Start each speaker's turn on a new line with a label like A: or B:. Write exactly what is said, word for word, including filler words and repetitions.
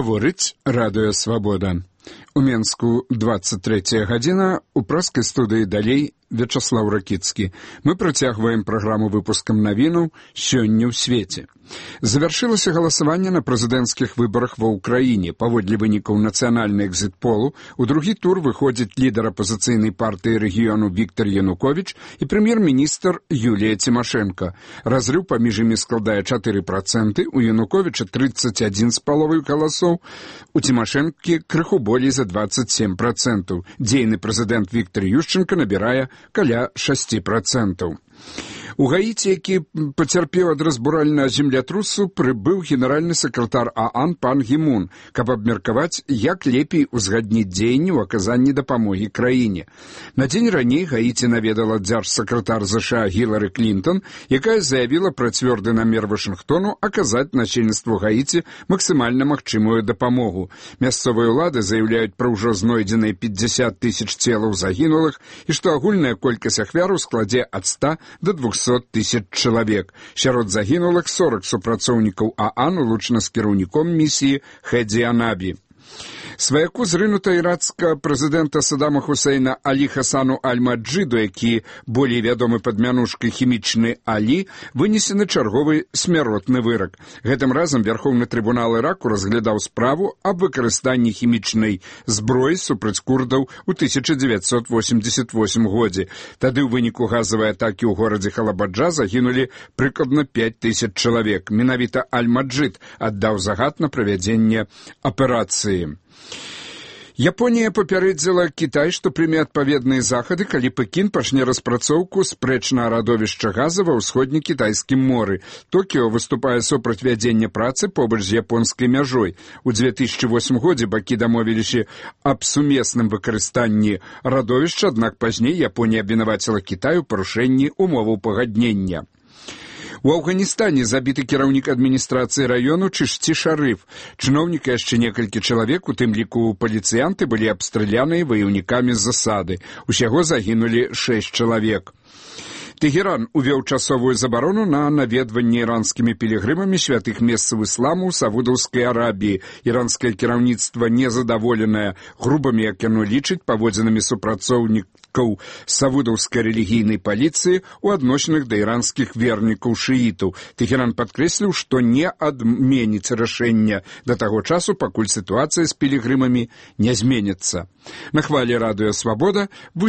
A: Гаворыць радыё «Свабода». У Менску двадцать третья гадзіна, у праскай студыі далей Вячаслаў Ракіцкі. Мы працягваем праграму выпускам навінаў «Сёння ў свеце». Завяршылася галасаванне на прэзідэнцкіх выбарах ва ўкраіне. Паводле вынікаў нацыянальнай экзіт-полу, у другі тур выходзіць лідар апазіцыйнай партыі рэгіёну Віктар Януковіч і прэм'ер-міністр Юлія Цімашэнка. Разрыў паміж імі складае чатыры працэнты, у Януковіча тридцать один з паловай галасоў, у Цімашэнкі крыху болей за двадцать семь працэнтаў. Дзейны прэзідэнт Віктар Ющенка набірае каля шасці працэнтаў. У Гаіці, які пацярпеў ад разбуральнага землятрусу, прыбыў генеральны сакратар ААН пан Гі Мун, каб абмеркаваць, як лепей узгадніць дзеянні ў аказанні дапамогі краіне. На дзень раней Гаіці наведала дзяржсакратар ЗША Гілары Клінтон, якая заявіла пра цвёрды намер Вашынгтону аказаць насельніцтву Гаіці максімальна магчымую дапамогу. Мясцовыя ўлады заяўляюць пра ўжо знойдзеныя пятьдесят тысяч целаў загінулых і што агульная колькасць ахвяраў складзе ад ста до двухсот тысяч чалавек. Сярод загінулых сорок супрацоўнікаў ААН улучана з кіраўніком місіі Хэдзі Анабі. Сваяку зрынута ірацкага прэзідэнта Саддама Хусейна Алі Хасану Аль-Маджиду, які болей вядомы пад мянушкай хімічны Алі, вынесены чарговы смяротны вырак. Гэтым разам Вярхоўны трыбунал Іраку разглядаў справу аб выкарыстанні хімічнай зброі супраць курдаў у тысяча дзевяцьсот восемьдесят восьмым годзе. Тады ў выніку газавай атакі ў горадзе Халабаджа загінулі прыкладна пять тысяч чалавек. Менавіта Аль-Маджид аддаў загад на правядзенне аперацыі. Японія папярэдзіла Кітай, што прыме адпаведныя захады, калі Пекін пачне распрацоўку спрэчнага радовішча газа ва ўсходне-кітайскім моры. Токіо выступае супраць вядзення працы побач з японскай мяжой. У две тысячи восьмым годзе бакі дамовіліся аб сумесным выкарыстанні радовішча, аднак пазней Японія абвінаваціла Кітай у парушэнні умоваў пагаднення. У Афганістане забіты кіраўнік адміністрацыі раёну Чышці Шарыф. Чыноўніка яшчэ некалькі чалавек, у тым ліку паліцыянты, былі абстраляныя ваяўнікамі з засады. Усяго загінулі шэсць чалавек. Тэгеран увёў часовую забарону на наведванне іранскімі пілігрымамі святых месцаў ісламу ў Саудаўскай Арабіі. Іранскае кіраўніцтва незадаволенае грубымі, як яно лічыць, паводзінамі супрацоўнікаў саудаўскай рэлігійнай паліцыі ў адносінах да іранскіх вернікаў шыітаў. Тэгеран падкрэсліў, што не адменіць рашэнне да таго часу, пакуль сітуацыя з пілігрымамі не зменіцца. На хвалі радыё «Свабода» вы